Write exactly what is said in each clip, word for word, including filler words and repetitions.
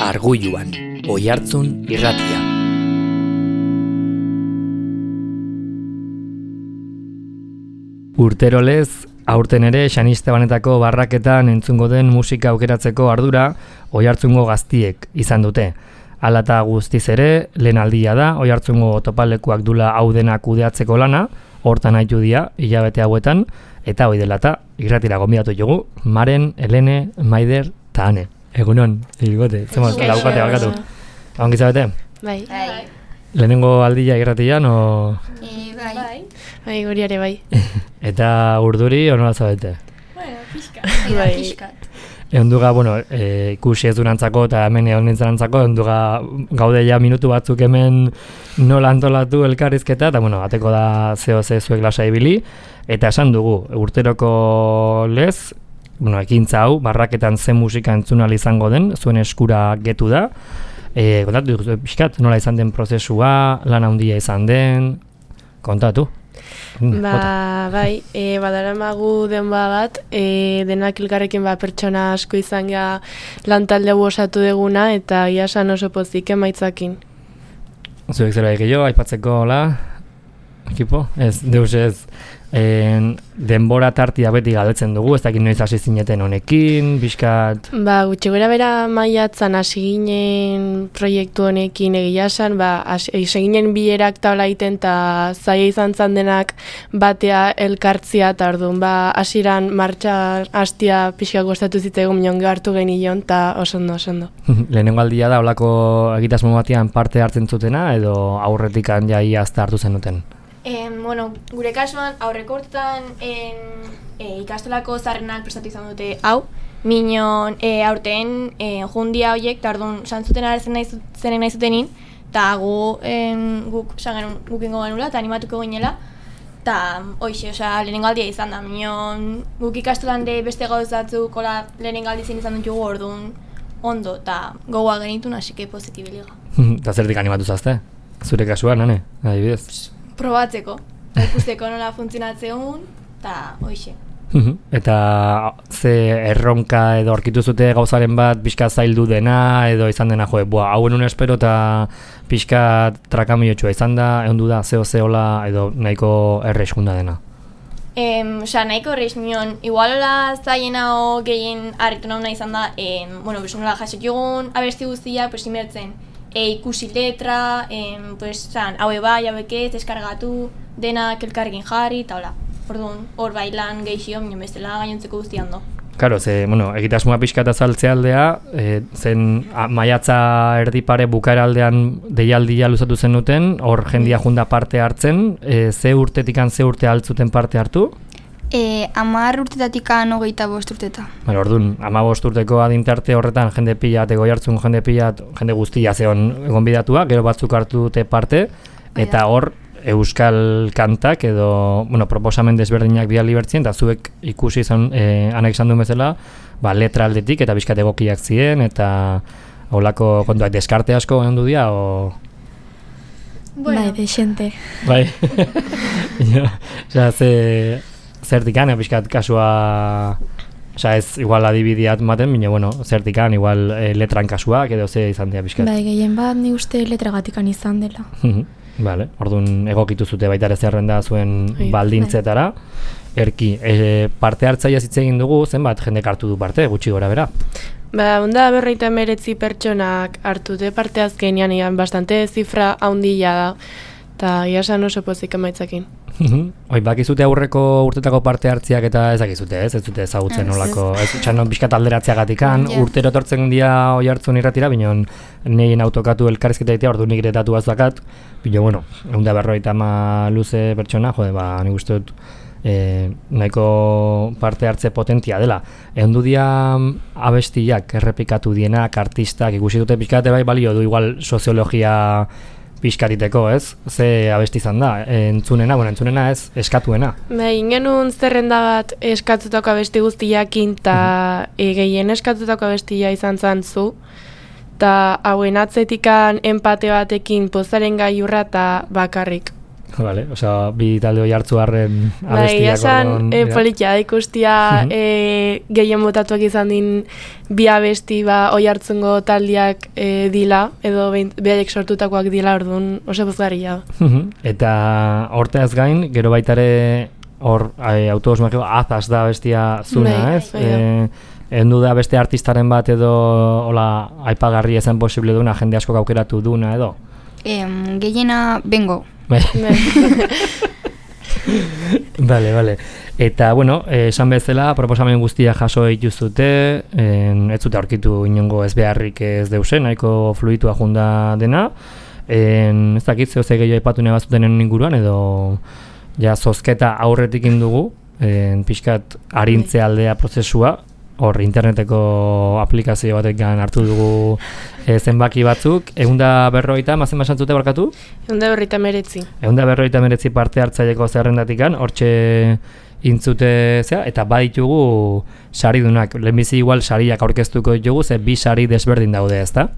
Argulluan, Oihartzun irratia. Urtero lez, aurten ere Xaniste Banetako barraketan entzungo den musika aukeratzeko ardura Oihartzungo gaztiek izan dute. Hala eta guztiz ere, lehen aldia da, Oihartzungo topalekuak dula hau dena kudeatzeko lana, hortan haitu dia, hilabete hauetan, eta hoi dela eta irratira gonbidatu dugu, Maren, Helene, Maider eta Ane. Egunon, irigote, zemos, laukate bakatu. Haun gizabete? Bai. Lehenengo aldia irratian, o... E, bai. Bai, bai guriare bai. Eta urduri, o nola zabete? Bueno, pixkat. Bai, pixkat. Eunduga, bueno, e, ikusi ez durantzako eta hemen egon nintzenantzako, eunduga gaude ja minutu batzuk hemen nola antolatu elkarrizketa, eta bueno, ateko da zeo ze zuek lasa ibili, eta esan dugu, urteroko lez, bueno, ekintza hau, barraketan ze musika entzunal izango den, zuen eskura getu da, e, kontatu, pixkat, nola izan den prozesua, lan handia izan den, kontatu. Ba, bai, e, badaramagu denba bat, e, denak elkarrekin ba, pertsona asko izan ga lantalde osatu deguna, eta iasan oso pozik emaitzakin. Zuek zera egillo, aipatzeko, hola, ekipo? Ez, deus ez, en, denbora tartia beti galdetzen dugu, ez dakit noiz hasi zineten honekin, bizkat... Ba, gutxi gora bera maiatzan hasi ginen proiektu honekin egia esan, ba, hasi ginen bilerak taula egiten eta zaila izan zan denak batea elkartzia, eta orduan, ba, hasiran martxa hastia pixka gustatu zitzaigun minon hartu genion, eta osondo, osondo. Lehenengo aldia da, holako egitasmo batean parte hartzen zutena, edo aurretikan jai azta hartu zenuten? Eh, bueno, gure kasuan aurreko urtetan en, e, ikastolako zarrenak prestatu izan dute hau, minon e, aurten e, jundia horiek, eta orduan santzuten arazen nahi zenen nahi zutenin, eta gu, en, guk guk ingo genula, eta animatuko ginela, eta hoxe, osea, lehenengo aldia izan da, minon guk ikastolan de beste gauzatzuk, kola lehenengo aldizien izan dut jugu orduan ondo, eta gogoa genitun, hasi que positibiliga. Eta zertik animatu zazte? Zure kasuan, nane? Adibidez? Probatzeko, ikusteko nola funtzionatzeun, eta hoxe. Eta ze erronka edo aurkitu zute gauzaren bat pixka zaildu dena, edo izan dena, joe, bua, hauen un espero eta pixka trakamiotsua izan da, egon du da, zeo zeola, edo nahiko erreixkunda dena? Em, Osa, nahiko erreiz nion, igualola zaiena o gehien harritu nauna izan da, em, bueno, besunola jasok jogun, abesti guztia, pues, imertzen, E, ikusi letra, em, pues, zan, haue bai, hauek ez, deskargatu, denak elkarrekin jarri, eta hola. Orduan, hor bailan gehizio, minun bestela gainontzeko guztian do. Karo, ze, bueno, egitasmoa pixka eta zaltze aldea, e, zen a, maiatza erdipare bukaera aldean deialdia luzatu zen duten, hor jendia junda parte hartzen, e, ze urtetikan ze urte altzuten parte hartu? E, amar urtetatik hogeita bost urteta. Bueno, orduan, ama bost urteko adintarte horretan jende pila, Oihartzun jende pila, jende guztia zeon gonbidatua, gero batzuk hartu dute parte, eta hor euskal kantak edo, bueno, proposamen desberdinak bidali bertzien, eta zuek ikusi izan, eh, anek izan duen bezala, ba, letra aldetik eta bizkat egokiak ziren, eta holako kontuak deskarte asko egon du dira, o... Bueno. Bai, desente. Bai, ja, ze... Zertikan, pixkat kasua, oza ez igual adibidiat maten, bine, bueno, zertikan, igual e, letran kasuak edo ze izan dira pixkat. Bai, gehien bat ni uste letragatikan izan dela. Vale, orduan egokitu zute baita ere zerrenda zuen Oi, baldintzetara. Erki, e, parte hartzaia hitz egin dugu, zenbat jendek hartu du parte, gutxi gora bera? Ba, onda berreita emeretzi pertsonak hartu dute parte azkenean, egan bastante zifra haundila da, eta iasan oso pozik emaitzakin. Hoi, bakizute aurreko urtetako parte hartziak eta ez dakizute, ez? Ez dute ezagutzen nolako, ez txan pixkat alderatzeagatikan, urtero etortzen dia Oihartzun irratira, bineon nien autokatu elkarrizketa egitea, ordu nik ere datu bazakat, bine, bueno, egun da berroita ama luze pertsona, jode, ba, nik uste dut, e, nahiko parte hartze potentia dela. Egun du dia abestiak errepikatu dienak, artistak, ikusi dute pixkate bai balio du igual soziologia pixkariteko, ez? Ze abesti izan da, entzunena, bueno, entzunena ez, eskatuena. Ba, ingenun zerrenda bat eskatutako abesti guztiakin, eta e, gehien eskatutako abestia izan zan zu, eta hauen atzetikan empate batekin pozaren gaiurra eta bakarrik. Vale, osea, bi talde hoi hartzu harren abestiak esan, e, politia, ikustia e, gehien botatuak izan din bi abesti ba, oi hartzungo taldiak e, dila, edo behaiek sortutakoak dila, orduan oso pozgarria. Eta horteaz gain, gero baitare hor e, autobus magiko azaz da bestia zuna, ez? E, Endu da beste artistaren bat edo hola aipagarri ezen posible duna, jende asko aukeratu duna edo? Em, gehiena bengo. Bale, bale. Eta, bueno, esan bezala, proposamen guztia jaso dituzute, en, ez zute aurkitu inongo ez beharrik ez deusen, nahiko fluitua junda dena. En, ez dakit, zehose gehiago aipatu nebazutenen inguruan, edo ja zozketa aurretik indugu, en, pixkat arintze aldea prozesua, hor interneteko aplikazio batekan hartu dugu e, zenbaki batzuk, eunda berroita, mazen basantzute barkatu? Eunda berroita meretzi. Eunda berroita meretzi parte hartzaileko zerrendatikan, hortxe intzute zea, eta baditugu saridunak, lehenbizi igual sariak aurkeztuko ditugu, ze bi sari desberdin daude, ezta?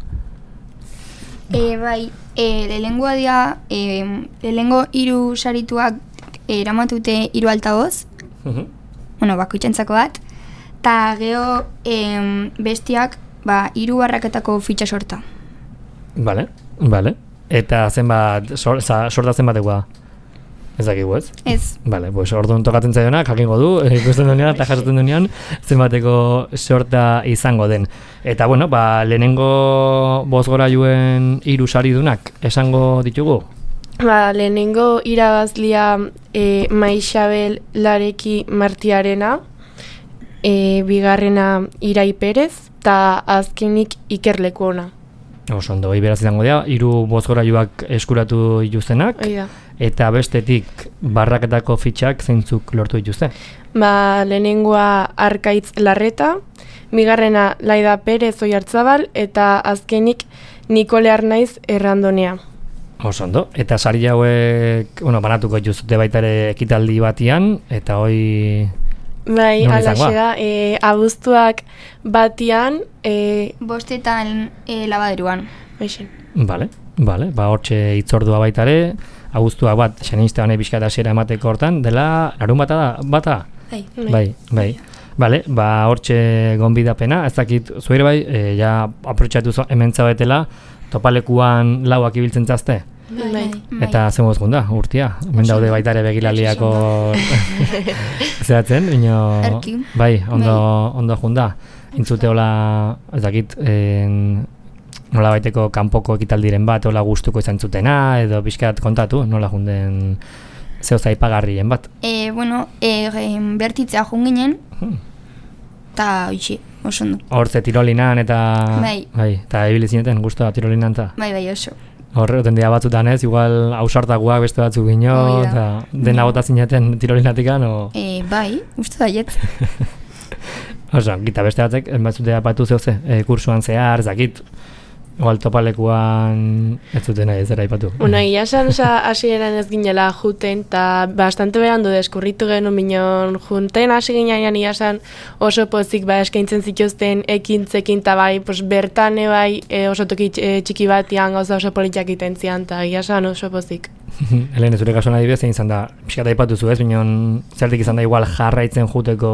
E, bai, e, lehengoa dira, e, lehengo hiru sarituak e, eramatute hiru altaboz, uh-huh. bueno, bakoitzentzako bat, eta geho em, bestiak ba, hiru barraketako fitxa sorta. Bale, bale. Eta zenbat, sor, za, sorta zenbatekoa? Ez dakigu ez? Ez. Bale, pues orduan tokatzen zaionak, jakingo du, ikusten duenean eta jasotzen duenean zenbateko sorta izango den. Eta bueno, ba, lehenengo bozgorailuen hiru saridunak esango ditugu? Ba, lehenengo irabazlia e, Maixabel Lareki Martiarena, E, bigarrena Irai Perez, eta azkenik Iker Lekuona. Oso ondo, hori beraz izango dira, hiru bozgorailuak eskuratu dituztenak, eta bestetik barraketako fitxak zeintzuk lortu dituzte? Ba, lehenengoa Arkaitz Larreta, bigarrena Laida Perez Oiartzabal, eta azkenik Nikole Arnaiz Errandonea. Oso ondo, eta sari hauek, bueno, banatuko dituzte baita ere ekitaldi batian, eta hoi... Bai, alaxe da, e, abuztuak batian... E, Bostetan e, labaderuan. Baixen. Bale, bale, ba hortxe itzordua baitare, abuztuak bat, xenista honek bizkat hasiera emateko hortan, dela, larun bata da, bata? Bai. Bai, bai. Bale, ba hortxe gonbidapena, ez dakit, zuire bai, e, ja aprotxatu hemen zaudetela, topalekuan lauak ibiltzen zazte? Bai. Eta zen mozgun da, urtia. Hemen daude baita ere begilaliako zehatzen, ino... Bai, ondo, ondo junda. Intzute hola, ez dakit, en, nola baiteko kanpoko ekitaldiren bat, hola gustuko izan zutena, edo pixkat kontatu, nola junden zeo zaipagarrien bat. E, bueno, e, bertitzea junginen, eta oitxe, oso ondo. Hortze tirolinan eta... Bai. Bai, eta ebili zineten, guztua tirolinan eta... Bai, bai, oso. Horre, oten dira batzutan ez, igual ausartakoak beste batzuk gino, eta dena bota zineten tirolinatikan, o... E, bai, uste da jet. Oso, gita beste batzek, batzutea batu zehose, e, kursuan zehar, zakit, igual topalekuan ez zuten nahi ez eraipatu. Una, ia esan, hasieran ez ginela juten, eta bastante berandu deskurritu genuen minon junten, hasi ginean ia esan oso pozik ba, eskaintzen zituzten ekintzekin, eta bai, pos, bertan bai e, oso toki e, txiki batian gauza oso politiak iten zian, eta ia esan oso pozik. Helen, zure kasuan adibidez, egin zan da, pixkat aipatu zu ez, minon zertik izan da igual jarraitzen juteko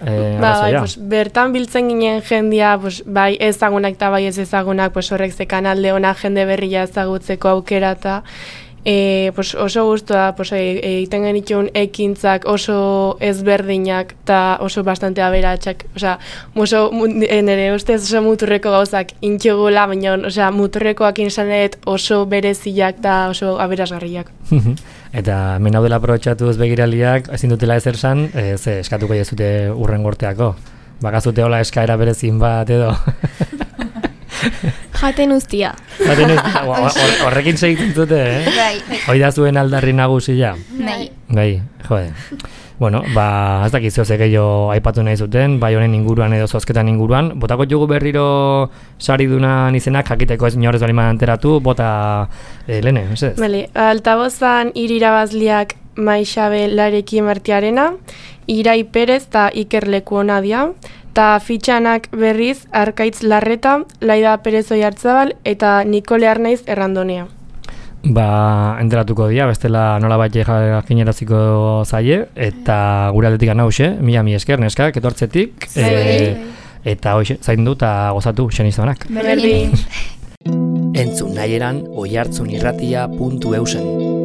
eh, ba, bai, pues, bertan biltzen ginen jendia, pues, bai ezagunak eta bai ez ezagunak, pues, horrek ze kanalde ona jende berria ezagutzeko aukera eta e, pues, oso guztua pues, egiten e, genituen ekintzak oso ezberdinak eta oso bastante aberatsak, osea, oso nire ustez oso muturreko gauzak intxegula, baina osea, muturrekoak insanet oso bereziak eta oso aberasgarriak. Eta hemen daudela aprobetxatuz begiraliak, ezin dutela ezer san, e, ze eskatuko jezute urren gorteako. Bakazute hola eskaera berezin bat edo. Jaten ustia. Jaten ustia, horrekin segitzen zute, eh? Bai. Hoi da zuen aldarri nagusia. Bai. Bai, jode. Bueno, ba, ez dakiz zoze gehiago aipatu nahi zuten, bai honen inguruan edo zozketan inguruan. Botako jugu berriro saridunan izenak, jakiteko ez inorez baliman anteratu, bota eh, lehene, ez ez? Bale, altabozan irirabazliak Maixabel Lareki Martiarena, Irai Perez eta Iker Lekuona dia, eta fitxanak berriz Arkaitz Larreta, Laida Perez Oiartzabal eta Nikole Arnaiz Errandonea. ba, enteratuko dira, bestela nola bat jakineraziko zaie, eta gure aldetik anauxe, mila mi esker, neskak, etortzetik, e, eta hoxe, zaindu eta gozatu xenizonak. Berdin. Entzun nahieran oihartzunirratia puntu eusen.